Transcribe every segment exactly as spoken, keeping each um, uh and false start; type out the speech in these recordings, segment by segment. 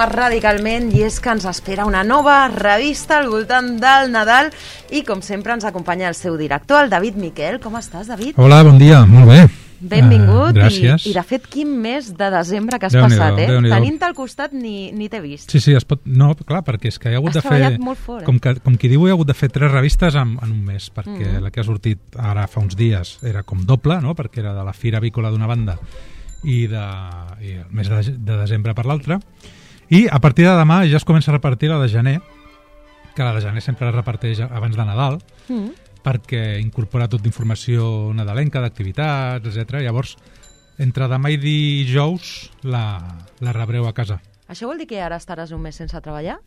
Radicalment, i és que ens espera una nova revista al voltant del Nadal i com sempre ens acompanya el seu director, el David Miquel. Com estàs, David? Hola, bon dia, molt bé. Benvingut. Uh, gràcies. I, i de fet, quin mes de desembre que has Déu-n'hi-do, passat, eh? Déu-n'hi-do. Tenint-te al costat ni, ni t'he vist. Sí, sí, es pot... No, clar, perquè és que hi ha hagut Has de fer... treballat molt fort, eh? Com, que, com qui diu, hi ha hagut de fer tres revistes en, en un mes, perquè Mm. la que ha sortit ara fa uns dies era com doble, no?, perquè era de la Fira Avícola d'una banda i, de, i el mes de, de desembre per l'altra. I a partir de demà ja es comença a repartir la de gener, que la de gener sempre es reparteix abans de Nadal, Mm. perquè incorpora tota informació nadalenca, d'activitats, etcètera. Llavors, entre demà i dijous la, la rebreu a casa. Això vol dir que ara estaràs un mes sense treballar?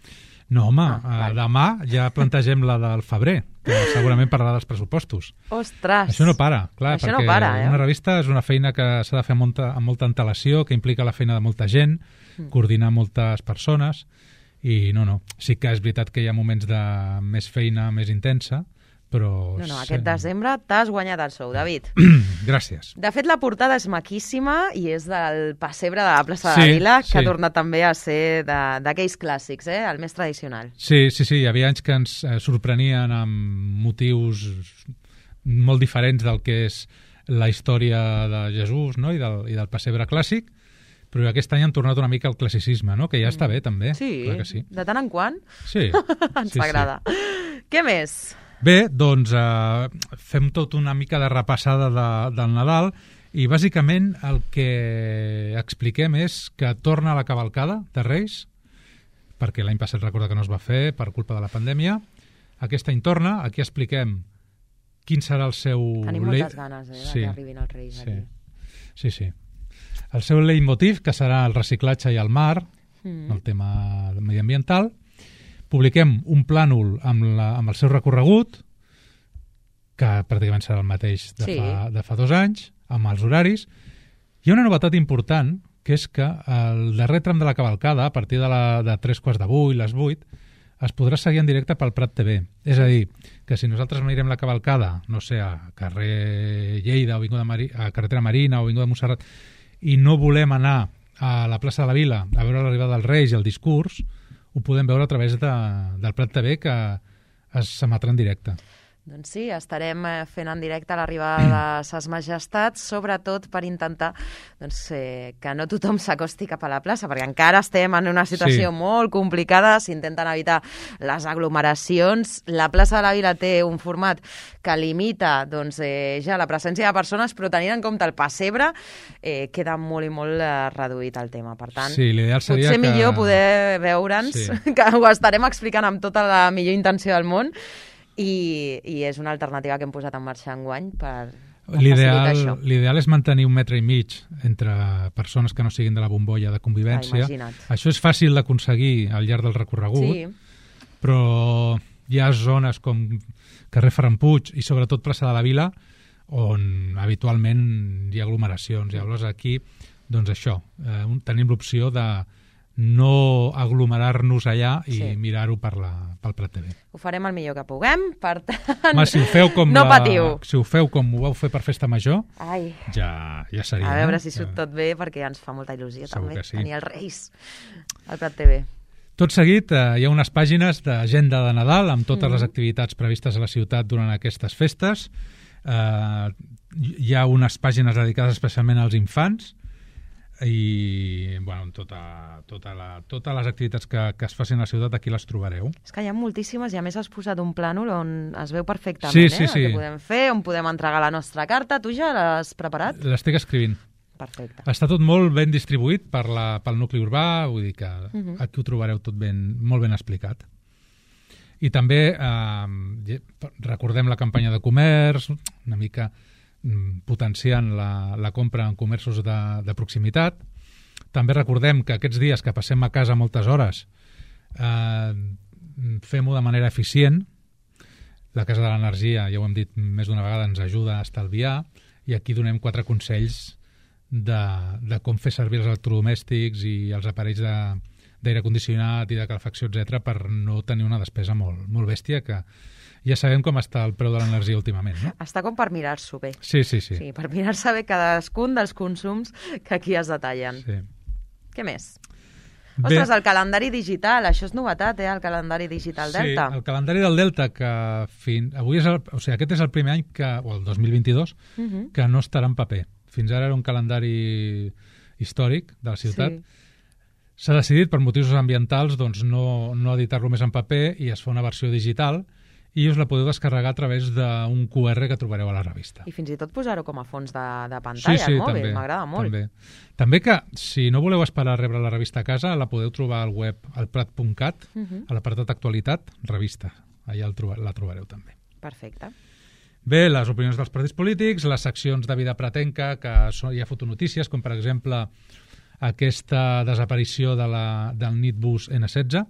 No, home, Ah, ah, vale. demà ja plantegem la del febrer, que segurament parlarà dels pressupostos. Ostres! Això no para, clar, Això no perquè para, eh? una revista és una feina que s'ha de fer amb molta, amb molta antelació, que implica la feina de molta gent, Mm. coordinar moltes persones, i no, no, sí que és veritat que hi ha moments de més feina, més intensa, però... No, no, aquest desembre t'has guanyat el sou, David. Gràcies. De fet, la portada és maquíssima i és del pessebre de la plaça de Sí, la Vila, que sí. ha tornat també a ser de- d'aquells clàssics, eh? El més tradicional. Sí, sí, sí, hi havia anys que ens eh, sorprenien amb motius molt diferents del que és la història de Jesús, no?, i del, i del pessebre clàssic, però aquest any han tornat una mica al classicisme, no?, que ja està bé, també. Sí, Clar que sí. de tant en quant Sí, ens sí, agrada. Què més? Bé, doncs eh, fem tot una mica de repassada de, del Nadal i bàsicament el que expliquem és que torna la cavalcada de Reis, perquè l'any passat recorda que no es va fer per culpa de la pandèmia. Aquest any torna, aquí expliquem quin serà el seu... Tenim lei- moltes ganes, eh, de Sí, que arribin els Reis sí, aquí. sí, sí. El seu leitmotiv, que serà el reciclatge i el mar, Mm. el tema mediambiental. Publiquem un plànol amb, la, amb el seu recorregut, que pràcticament serà el mateix de, Sí. fa, de fa dos anys, amb els horaris. Hi ha una novetat important, que és que el darrer tram de la cavalcada, a partir de, la, de tres quarts de vuit, les vuit, es podrà seguir en directe pel Prat T V. És a dir, que si nosaltres mirem la cavalcada, no sé, a carrer Lleida, o Avinguda Mari, a carretera Marina, o Avinguda Montserrat, i no volem anar a la plaça de la Vila a veure l'arribada dels Reis i el discurs, ho podem veure a través de, del Prat T V, que s'emetrà en directe. Doncs sí, estarem eh, fent en directe l'arribada de Ses Majestats, sobretot per intentar doncs, eh, que no tothom s'acosti cap a la plaça, perquè encara estem en una situació Sí. molt complicada, s'intenten evitar les aglomeracions. La plaça de la Vila té un format que limita doncs, eh, ja la presència de persones, però tenint en compte el pessebre, eh, queda molt i molt eh, reduït el tema. Per tant, Sí, l'ideal seria potser que... millor poder veure'ns, Sí. que ho estarem explicant amb tota la millor intenció del món, i, i és una alternativa que hem posat en marxa enguany per, per facilitar L'ideal això. l'ideal és mantenir un metre i mig entre persones que no siguin de la bombolla de convivència. Ah, imagina't. Això és fàcil d'aconseguir al llarg del recorregut, Sí, però hi ha zones com carrer Ferran Puig i sobretot plaça de la Vila on habitualment hi ha aglomeracions. Llavors aquí, doncs això, eh, un- tenim l'opció de no aglomerar-nos allà i Sí. mirar-ho per la, pel Prat T V. ho farem el millor que puguem, per tant... Home, si ho feu com no la, patiu. si ho feu com ho vau fer per Festa Major, Ai, ja, ja seria. a veure no? si surt tot bé, perquè ens fa molta il·lusió Segur també que sí. tenir els Reis al Prat T V. Tot seguit, eh, hi ha unes pàgines d'agenda de Nadal amb totes Mhm. les activitats previstes a la ciutat durant aquestes festes. Eh, hi ha unes pàgines dedicades especialment als infants i bueno, tota, tota la, totes les activitats que, que es facin a la ciutat aquí les trobareu. És que hi ha moltíssimes i a més has posat un plànol on es veu perfectament Sí, eh, sí, el sí. que podem fer, on podem entregar la nostra carta. Tu ja l'has preparat? L'estic escrivint. Perfecte. Està tot molt ben distribuït per la, pel nucli urbà, vull dir que Mhm. aquí ho trobareu tot ben, molt ben explicat. I també eh, recordem la campanya de comerç, una mica mm, potenciant la, la compra en comerços de, de proximitat. També recordem que aquests dies que passem a casa moltes hores eh, fem-ho de manera eficient. La Casa de l'Energia, ja ho hem dit més d'una vegada, ens ajuda a estalviar i aquí donem quatre consells de, de com fer servir els electrodomèstics i els aparells de, d'aire condicionat i de calefacció, etcètera, per no tenir una despesa molt, molt bèstia, que ja sabem com està el preu de l'energia últimament, no? Està com per mirar-s'ho bé. Sí, sí, sí. Sí, per mirar-se bé cadascun dels consums que aquí es detallen. sí. Què més? Ostres, el calendari digital, això és novetat, eh, el calendari digital Delta. Sí, el calendari del Delta, que fin... avui és el... o sigui, aquest és el primer any, que, o el dos mil vint-i-dos, uh -huh. que no estarà en paper. Fins ara era un calendari històric de la ciutat. Sí. S'ha decidit, per motius ambientals, doncs no, no editar-lo més en paper i es fa una versió digital i us la podeu descarregar a través d'un Q R que trobareu a la revista. I fins i tot posar-ho com a fons de, de pantalla sí, sí, al mòbil, també, m'agrada molt. També. també que, si no voleu esperar a rebre la revista a casa, la podeu trobar al web al prat punt cat, uh -huh. a l'apartat actualitat, revista. Allà el troba, la trobareu també. Perfecte. Bé, les opinions dels partits polítics, les seccions de vida pratenca, que són, hi ha fotonotícies, com per exemple aquesta desaparició de la, del Nitbus ene setze,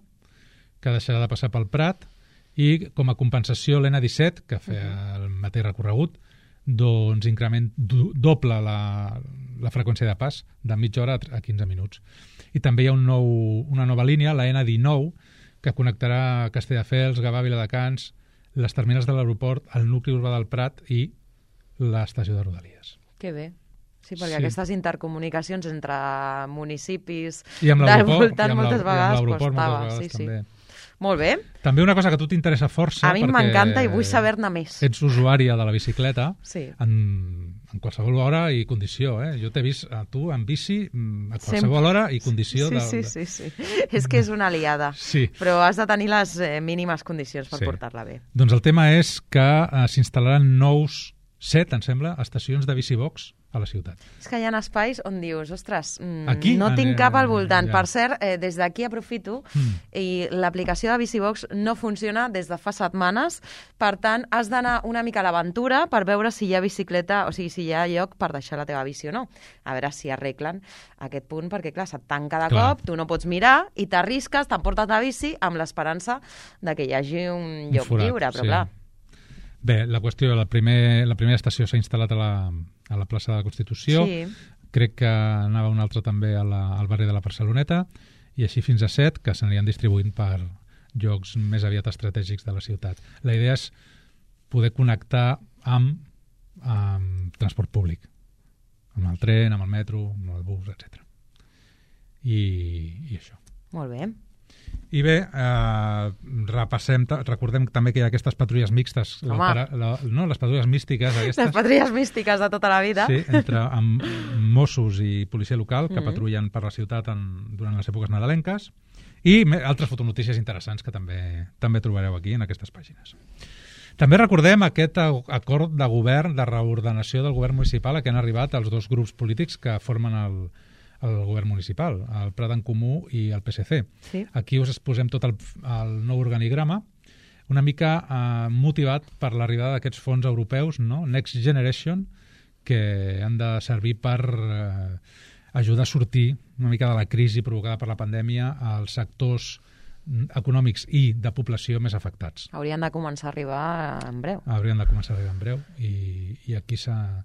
que deixarà de passar pel Prat, i com a compensació l'N disset, que feia el mateix recorregut, doncs increment do, doble la, la freqüència de pas, de mitja hora a quinze minuts. I també hi ha un nou, una nova línia, la N dinou, que connectarà Castelldefels, Gavà, Viladecans, les terminals de l'aeroport, el nucli urbà del Prat i l'estació de Rodalies. Que bé. Sí, perquè sí. Aquestes intercomunicacions entre municipis I amb del voltant voltant moltes vegades costava. Moltes vegades, sí, també. sí. Molt bé. També una cosa que a tu t'interessa força... A mi m'encanta i vull saber-ne més. Ets usuària de la bicicleta sí. en, en qualsevol hora i condició. Eh? Jo t'he vist a tu en bici a qualsevol Sempre. hora i condició. Sí, de, sí, sí, sí. És que és una aliada. Sí. Però has de tenir les eh, mínimes condicions per sí. portar-la bé. Doncs el tema és que eh, s'instal·laran nous set, em sembla, estacions de bicibox a la ciutat. És que hi ha espais on dius, ostres, mmm, Aquí? no tinc cap al voltant. Ja. Per cert, eh, des d'aquí aprofito mm. i l'aplicació de Bicibox no funciona des de fa setmanes, per tant, has d'anar una mica a l'aventura per veure si hi ha bicicleta, o sigui, si hi ha lloc per deixar la teva bici o no. A veure si arreglen aquest punt, perquè, clar, se't tanca de clar. cop, tu no pots mirar i t'arrisques, t'emportes la bici amb l'esperança de que hi hagi un lloc un forat, lliure, però sí. clar... Bé, la qüestió, la, primer, la primera estació s'ha instal·lat a la, a la plaça de la Constitució, sí. crec que anava una altra també a la, al barri de la Barceloneta, i així fins a set, que s'anirien distribuint per llocs més aviat estratègics de la ciutat. La idea és poder connectar amb, amb transport públic, amb el tren, amb el metro, amb el bus, etcètera. I, i això. Molt bé. I bé, eh, repassem, recordem també que hi ha aquestes patrulles mixtes, la, la, no, les patrulles místiques aquestes. Les patrulles místiques de tota la vida. Sí, entre amb Mossos i policia local que mm -hmm. patrullen per la ciutat en, durant les èpoques nadalenques, i me, altres fotonotícies interessants que també també trobareu aquí en aquestes pàgines. També recordem aquest acord de govern, de reordenació del govern municipal a què han arribat els dos grups polítics que formen el el govern municipal, el Prat en Comú i el P S C. Sí. Aquí us exposem tot el, el nou organigrama, una mica eh, motivat per l'arribada d'aquests fons europeus, no? Next Generation, que han de servir per eh, ajudar a sortir una mica de la crisi provocada per la pandèmia als sectors econòmics i de població més afectats. Haurien de començar a arribar en breu. Haurien de començar a arribar en breu i, i aquí s'ha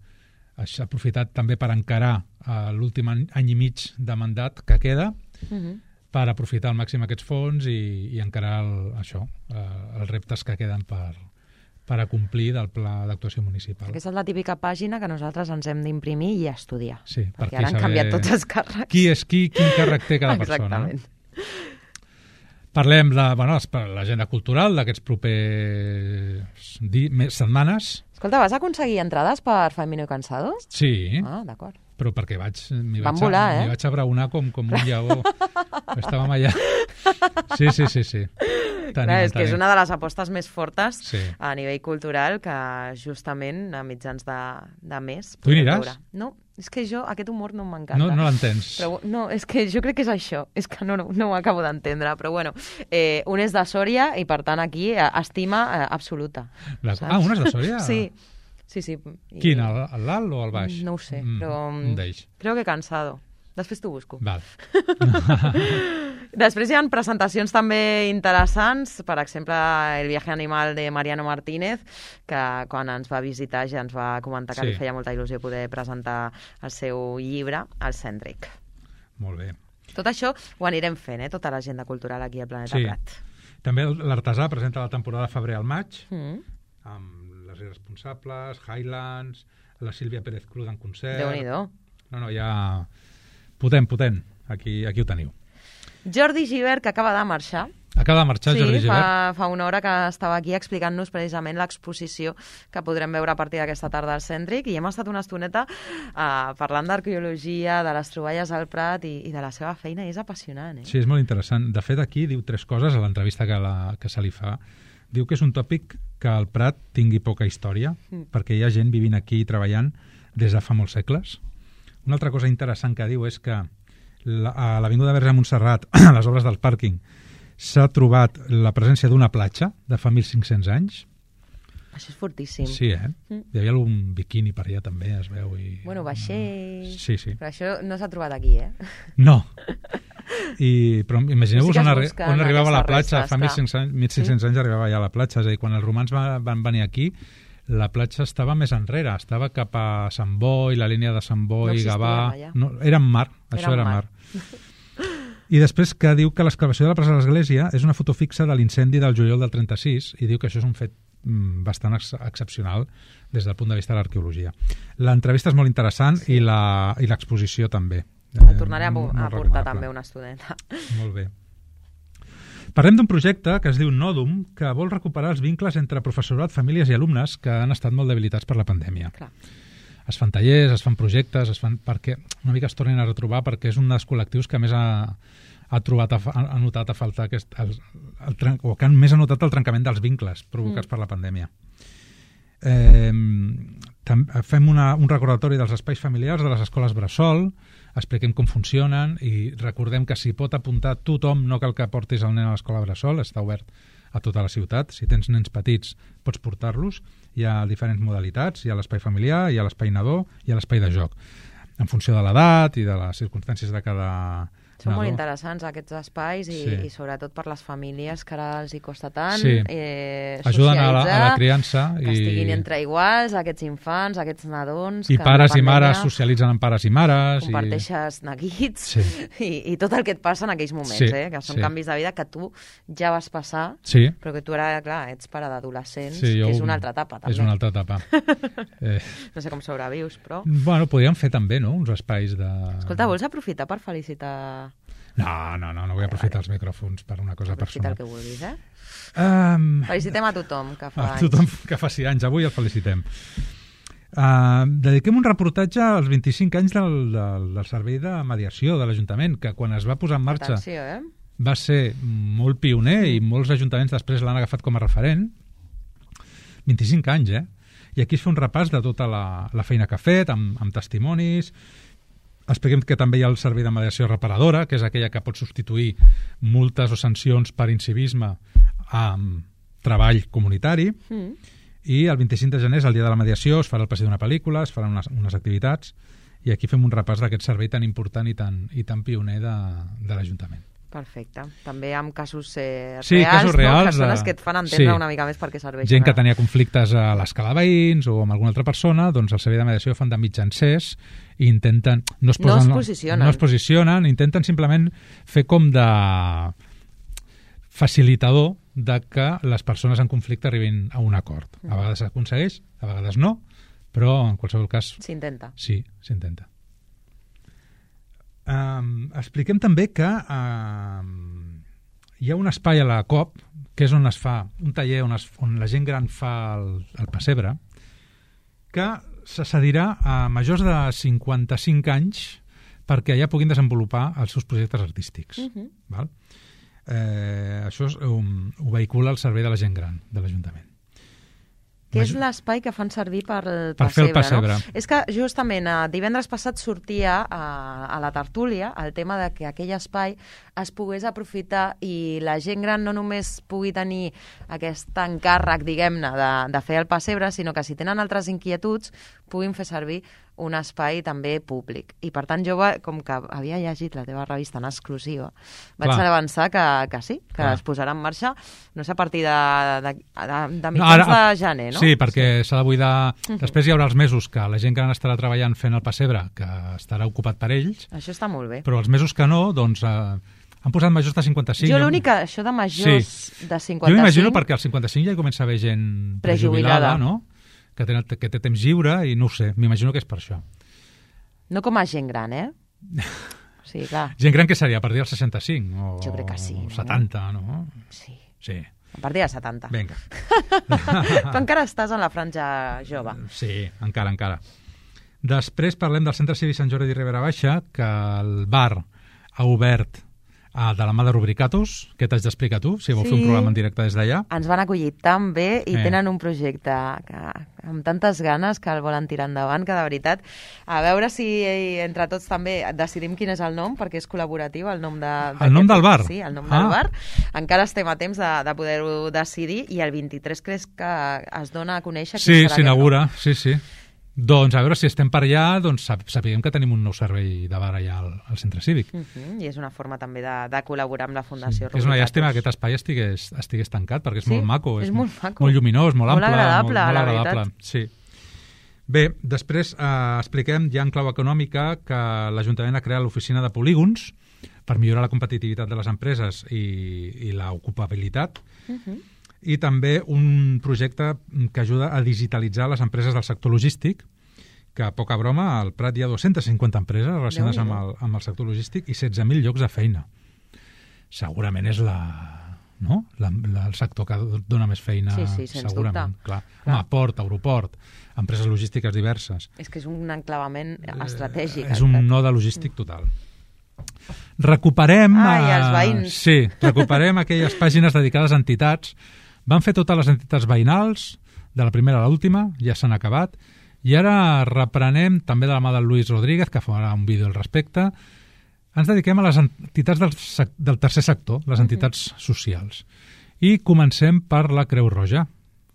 s'ha aprofitat també per encarar uh, l'últim any, any i mig de mandat que queda, uh -huh. per aprofitar al màxim aquests fons i, i encarar el, això, uh, els reptes que queden per, per acomplir del pla d'actuació municipal. Aquesta és la típica pàgina que nosaltres ens hem d'imprimir i estudiar, sí, perquè per ara han saber canviat tots els càrrecs. Qui és qui, quin càrrec té cada persona. Exactament. No? Parlem de bueno, l'agenda cultural d'aquests propers setmanes. Escolta, vas aconseguir entrades per Famino y Cansado? Sí. Ah, d'acord. Però perquè vaig, m'hi Van vaig, volar, eh? vaig abraonar com, com un lleó. Estàvem allà. Sí, sí, sí, sí. Tenim, Clar, és tenim. que és una de les apostes més fortes sí. a nivell cultural que justament a mitjans de, de mes... Tu hi aniràs? Veure. No, és que jo, aquest humor no m'encanta. No, no l'entens. Però, no, és que jo crec que és això. És que no, no, no ho acabo d'entendre. Però bueno, eh, un és de Sòria i per tant aquí eh, estima eh, absoluta. La... Ah, un és de Sòria? Sí. Sí, sí. I... Quin, el l'alt o el baix? No ho sé, mm, però... Un d'ells. Creo que Cansado. Després t'ho busco. Val. Després hi ha presentacions també interessants, per exemple, El viaje animal de Mariano Martínez, que quan ens va visitar ja ens va comentar que sí. li feia molta il·lusió poder presentar el seu llibre, El Cèntric. Molt bé. Tot això ho anirem fent, eh? Tota l'agenda cultural aquí al Planeta sí. Prat. També l'Artesà presenta la temporada febrer al maig, mm. amb Les Irresponsables, Highlands, la Sílvia Pérez Cruz en concert... Déu-n'hi-do. No, no, ja... Potent, potent. Aquí, aquí ho teniu. Jordi Givert, que acaba de marxar. Acaba de marxar, sí, Jordi Givert. Fa, fa una hora que estava aquí explicant-nos precisament l'exposició que podrem veure a partir d'aquesta tarda al Cèntric, i hem estat una estoneta uh, parlant d'arqueologia, de les troballes al Prat i, i de la seva feina, i és apassionant. Eh? Sí, és molt interessant. De fet, aquí diu tres coses a l'entrevista que, la, que se li fa. Diu que és un tòpic que el Prat tingui poca història, mm. perquè hi ha gent vivint aquí i treballant des de fa molts segles. Una altra cosa interessant que diu és que la, a l'Avinguda Verge de Montserrat, a les obres del pàrquing, s'ha trobat la presència d'una platja de fa mil cinc-cents anys. Això és fortíssim. Sí, eh? Mm. Hi havia algun biquini per allà també, es veu. I... Bueno, vaixell... Sí, sí. Però això no s'ha trobat aquí, eh? No. I, però imagineu-vos sí on, arri on arribava la platja. Fa mil cinc-cents sí? anys arribava ja a la platja. És a dir, quan els romans va, van venir aquí, la platja estava més enrere. Estava cap a Sant Boi, la línia de Sant Boi, no Gavà... No, era en mar. Això era, era mar. mar. I després que diu que l'excavació de la plaça de l'Església és una foto fixa de l'incendi del juliol del trenta-sis, i diu que això és un fet mm, bastant ex excepcional des del punt de vista de l'arqueologia. L'entrevista és molt interessant sí. i l'exposició també. El tornaré a, a portar també una estudenta. Molt bé. Parlem d'un projecte que es diu Nòdum, que vol recuperar els vincles entre professorat, famílies i alumnes que han estat molt debilitats per la pandèmia. Clar. Es fan tallers, es fan projectes, es fan perquè una mica es tornen a retrobar, perquè és un dels col·lectius que més ha, ha, trobat a, ha notat a faltar aquest, el, el, el, o que han més ha notat el trencament dels vincles provocats mm. per la pandèmia. Eh, tam, fem una, un recordatori dels espais familiars de les escoles bressol, expliquem com funcionen i recordem que s'hi pot apuntar tothom, no cal que portis el nen a l'escola bressol, està obert a tota la ciutat. Si tens nens petits, pots portar-los. Hi ha diferents modalitats. Hi ha l'espai familiar, hi ha l'espai nadó, hi ha l'espai de joc. En funció de l'edat i de les circumstàncies de cada Són nadó. molt interessants aquests espais i, sí. i sobretot per les famílies que ara els hi costa tant sí. eh, ajuden a la, a la criança que i... estiguin entre iguals, aquests infants, aquests nadons i que pares i mares socialitzen amb pares i mares comparteixes i... neguits sí. i, i tot el que et passa en aquells moments sí. eh, que són sí. canvis de vida que tu ja vas passar sí. però que tu ara, clar, ets pare d'adolescents sí, jo... que és una altra etapa també. És una altra etapa eh... no sé com sobrevius però bueno, podríem fer també no? uns espais de... Escolta, vols aprofitar per felicitar No, no, no, no vull aprofitar els micròfons per una cosa Aprofita personal. el que vulguis, eh? Um, felicitem a tothom que fa a anys. tothom que fa sis anys, avui el felicitem. Uh, dediquem un reportatge als vint-i-cinc anys del, del, del servei de mediació de l'Ajuntament, que quan es va posar en marxa Atenció, eh? va ser molt pioner i molts ajuntaments després l'han agafat com a referent. vint-i-cinc anys, eh? I aquí es fa un repàs de tota la, la feina que ha fet, amb, amb testimonis. Expliquem que també hi ha el servei de mediació reparadora, que és aquella que pot substituir multes o sancions per incivisme amb treball comunitari. Mm. I el vint-i-cinc de gener és el dia de la mediació, es farà el passeig d'una pel·lícula, es faran unes, unes activitats, i aquí fem un repàs d'aquest servei tan important i tan, i tan pioner de, de l'Ajuntament. Perfecte. També amb casos eh, sí, reals, casos reals, no? Que són els que et fan entendre sí. una mica més per què serveixen. Gent que tenia conflictes a l'escala veïns o amb alguna altra persona, doncs el servei de mediació fan de mitjancers i intenten... No es, posen, no es posicionen. No es posicionen, intenten simplement fer com de facilitador de que les persones en conflicte arribin a un acord. A vegades s'aconsegueix, a vegades no, però en qualsevol cas... S'intenta. Sí, s'intenta. Um, expliquem també que um, hi ha un espai a la COP que és on es fa un taller on, es, on la gent gran fa el, el pessebre, que se cedirà a majors de cinquanta-cinc anys perquè allà puguin desenvolupar els seus projectes artístics. Uh-huh. Val? Eh, això és, um, ho vehicula el servei de la gent gran de l'Ajuntament. Que és l'espai que fan servir per, el per fer el pessebre. No? És que justament eh, divendres passat sortia a, a la tertúlia el tema de que aquell espai es pogués aprofitar i la gent gran no només pugui tenir aquest encàrrec, diguem-ne, de, de fer el pessebre, sinó que si tenen altres inquietuds puguin fer servir un espai també públic. I per tant jo, com que havia llegit la teva revista en exclusiva, vaig Clar. avançar que, que sí, que Clar. es posarà en marxa, no sé, a partir de, de, de, de mitjans no, ara, de gener, no? Sí, perquè s'ha sí. de buidar... Uh-huh. Després hi haurà els mesos que la gent gran estarà treballant fent el pessebre, que estarà ocupat per ells. Això està molt bé. Però els mesos que no, doncs... Eh, han posat majors de cinquanta-cinc. Jo l'únic que això de majors sí. de cinquanta-cinc... Jo m'imagino perquè als cinquanta-cinc ja hi comença a haver gent prejubilada, no? Que té, que té temps lliure i no ho sé, m'imagino que és per això. No com a gent gran, eh? Sí, clar. Gent gran que seria a partir dels seixanta-cinc o Jo crec que sí, o no? setanta, no? Sí, Sí. a partir dels setanta. Vinga. Tu encara estàs en la franja jove. Sí, encara, encara. Després parlem del Centre Cívic Sant Jordi de Ribera Baixa, que el bar ha obert ah, de la mà de Rubricatus, que t'haig d'explicar tu, si vol Sí. fer un programa en directe des d'allà. Ens van acollir tan bé i Eh. tenen un projecte que, amb tantes ganes que el volen tirar endavant, que de veritat, a veure si entre tots també decidim quin és el nom, perquè és col·laboratiu, el nom de... El nom del bar? Sí, el nom Ah. del bar. Encara estem a temps de, de poder-ho decidir i el vint-i-tres crec que es dona a conèixer quin Sí, serà aquest s'inaugura, sí, sí. Doncs a veure si estem per allà, doncs sap- sapiguem que tenim un nou servei de bar allà al, al centre cívic. nom. Uh-huh. I és una forma també de, de col·laborar amb la Fundació És una Rubricatus. llàstima que aquest espai estigués, estigués tancat, perquè és Sí, molt maco. és molt maco. Molt lluminós, molt, Molt ample. agradable, molt, molt la agradable. veritat. Sí. Bé, després eh, expliquem ja en clau econòmica que l'Ajuntament ha creat l'oficina de polígons per millorar la competitivitat de les empreses i, i l'ocupabilitat, Uh-huh. i també un projecte que ajuda a digitalitzar les empreses del sector logístic, que, poca broma, al Prat hi ha dues-centes cinquanta empreses relacionades amb el, amb el sector logístic i setze mil llocs de feina. Segurament és la, no? la, la, el sector que dona més feina, Sí, sí, sens segurament. dubte. Clar. Clar. Home, port, aeroport, empreses logístiques diverses. És que és un enclavament estratègic. Eh, és un node logístic total. Recuperem... Ai, eh, els veïns. Sí, recuperem aquelles pàgines dedicades a entitats. Van fer totes les entitats veïnals, de la primera a l'última, ja s'han acabat, i ara reprenem, també de la mà del Luis Rodríguez, que farà un vídeo al respecte. Ens dediquem a les entitats del, sec- del tercer sector, les entitats socials. I comencem per la Creu Roja,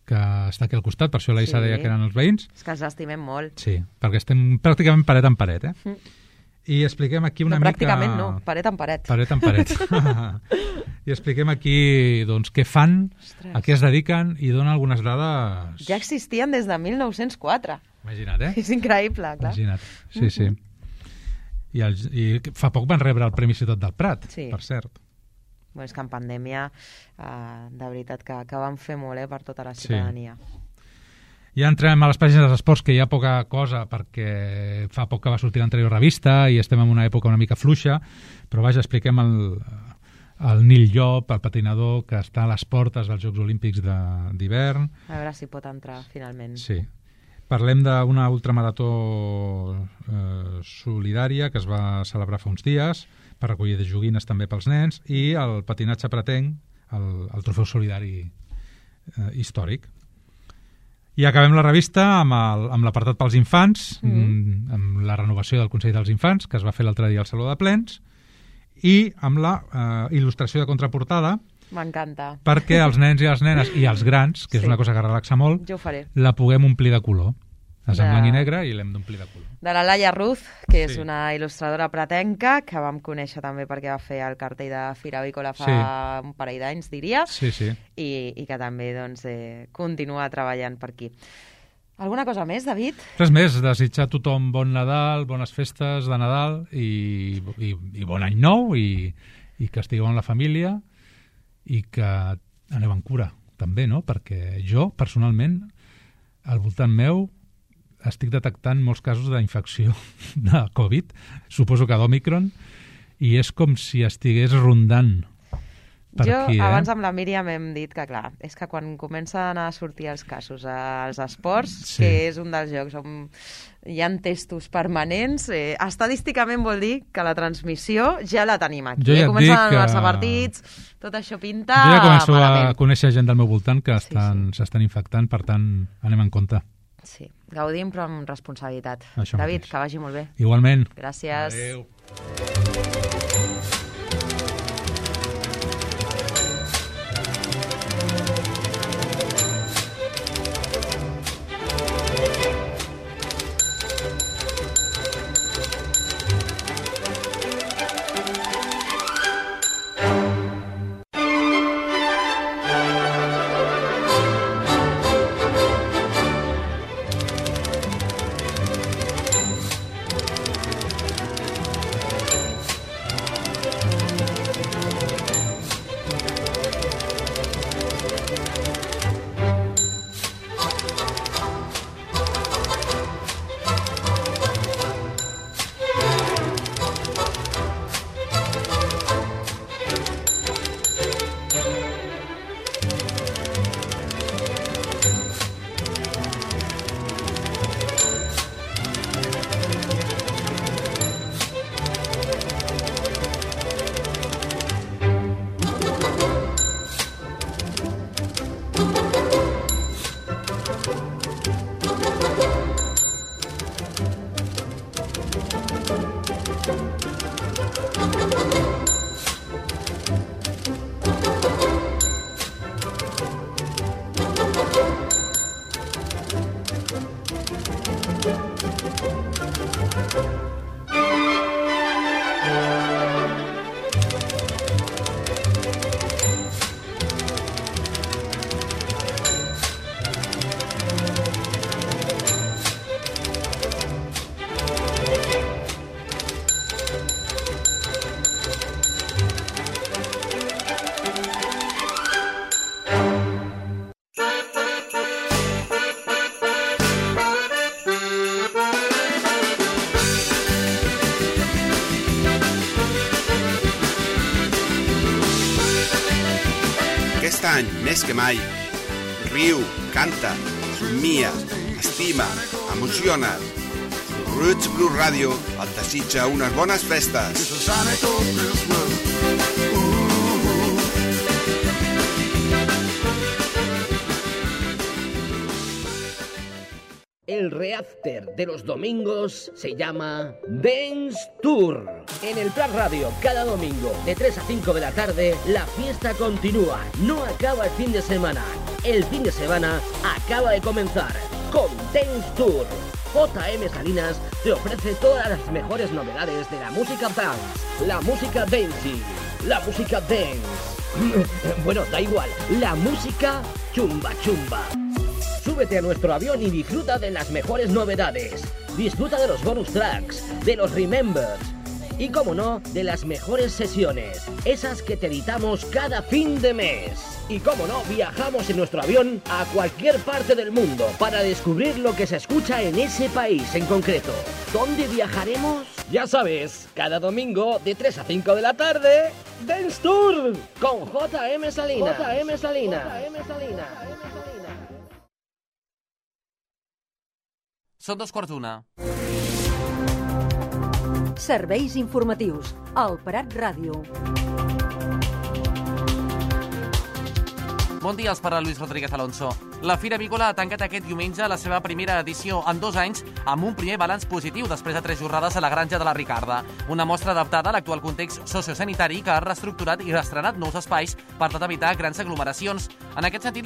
que està aquí al costat, per això l'Aissa Sí. deia que eren els veïns. És que els estimem molt. Sí, perquè estem pràcticament paret en paret, eh? Mm. I expliquem aquí una no, mica... pràcticament no, paret en paret. Paret en paret. I expliquem aquí doncs, què fan, Ostres. a què es dediquen i donen algunes dades... Ja existien des de mil nou-cents quatre. Imagina't, eh? És increïble, clar. Imagina't. Sí, sí. I, el, I fa poc van rebre el Premi Ciutat del Prat, Sí. per cert. Bueno, és que en pandèmia, eh, de veritat, que, que van fer molt eh, per tota la Sí. ciutadania. Ja entrem a les pàgines dels esports, que hi ha poca cosa, perquè fa poc que va sortir l'anterior revista i estem en una època una mica fluixa, però vaja, expliquem el, el Nil Llop, el patinador, que està a les portes dels Jocs Olímpics de- d'hivern. A veure si pot entrar, finalment. Sí. Parlem d'una ultramarató eh, solidària que es va celebrar fa uns dies per recollir de joguines també pels nens, i el patinatge pretenc, el, el trofeu solidari eh, històric. I acabem la revista amb el- amb l'apartat pels infants, mm. amb la renovació del Consell dels Infants, que es va fer l'altre dia al Saló de Plens, i amb la eh, il·lustració de contraportada, M'encanta. perquè els nens i les nenes i els grans, que és Sí. una cosa que relaxa molt, Jo ho faré. la puguem omplir de color. És en De- blanc i negre i l'hem d'omplir de color. De la Laia Ruz, que és Sí. una il·lustradora pretenca, que vam conèixer també perquè va fer el cartell de Fira Avícola fa Sí. un parell d'anys, diria, Sí, sí. i, i que també doncs, eh, continua treballant per aquí. Alguna cosa més, David? Res més, desitjar a tothom bon Nadal, bones festes de Nadal i, i, i bon any nou, i, i que estigueu amb la família i que aneu amb cura, també, no? Perquè jo, personalment, al voltant meu, estic detectant molts casos d'infecció de Covid, suposo que d'Omicron, i és com si estigués rondant per jo, aquí, eh? abans amb la Míriam hem dit que, clar, és que quan comencen a sortir els casos als esports, Sí. que és un dels jocs on hi ha testos permanents, eh, estadísticament vol dir que la transmissió ja la tenim aquí. Jo ja eh? et Comencen dic a que- donar-se partits, tot això pinta Jo ja començo malament. a conèixer gent del meu voltant que Sí, estan s'estan infectant, per tant, anem en compte. Sí, gaudim però amb responsabilitat. Això David, mateix. que vagi molt bé. Igualment. Gràcies. Adéu. Aquest any, més que mai, riu, canta, somnia, estima, emociona't. Roots Blues Radio et desitja unes bones festes. El reafter de los domingos se llama Dance Tour. En el Prat Radio, cada domingo, de tres a cinco de la tarde, la fiesta continúa. No acaba el fin de semana. El fin de semana acaba de comenzar con Dance Tour. J M Salinas te ofrece todas las mejores novedades de la música dance, la música dancing, la música dance. Bueno, da igual, la música chumba chumba. Súbete a nuestro avión y disfruta de las mejores novedades. Disfruta de los bonus tracks, de los remembers y, como no, de las mejores sesiones, esas que te editamos cada fin de mes. Y, como no, viajamos en nuestro avión a cualquier parte del mundo para descubrir lo que se escucha en ese país en concreto. ¿Dónde viajaremos? Ya sabes, cada domingo de tres a cinco de la tarde, Dance Tour con J M Salinas. J M Salinas. J M Salinas. Són dos quarts d'una. Serveis informatius. Al Prat Ràdio. Bon dia, els parla Luis Rodríguez Alonso. La Fira Avícola ha tancat aquest diumenge la seva primera edició en dos anys amb un primer balanç positiu després de tres jornades a la Granja de la Ricarda. Una mostra adaptada a l'actual context sociosanitari que ha reestructurat i reestrenat nous espais per tal d'evitar grans aglomeracions. En aquest sentit,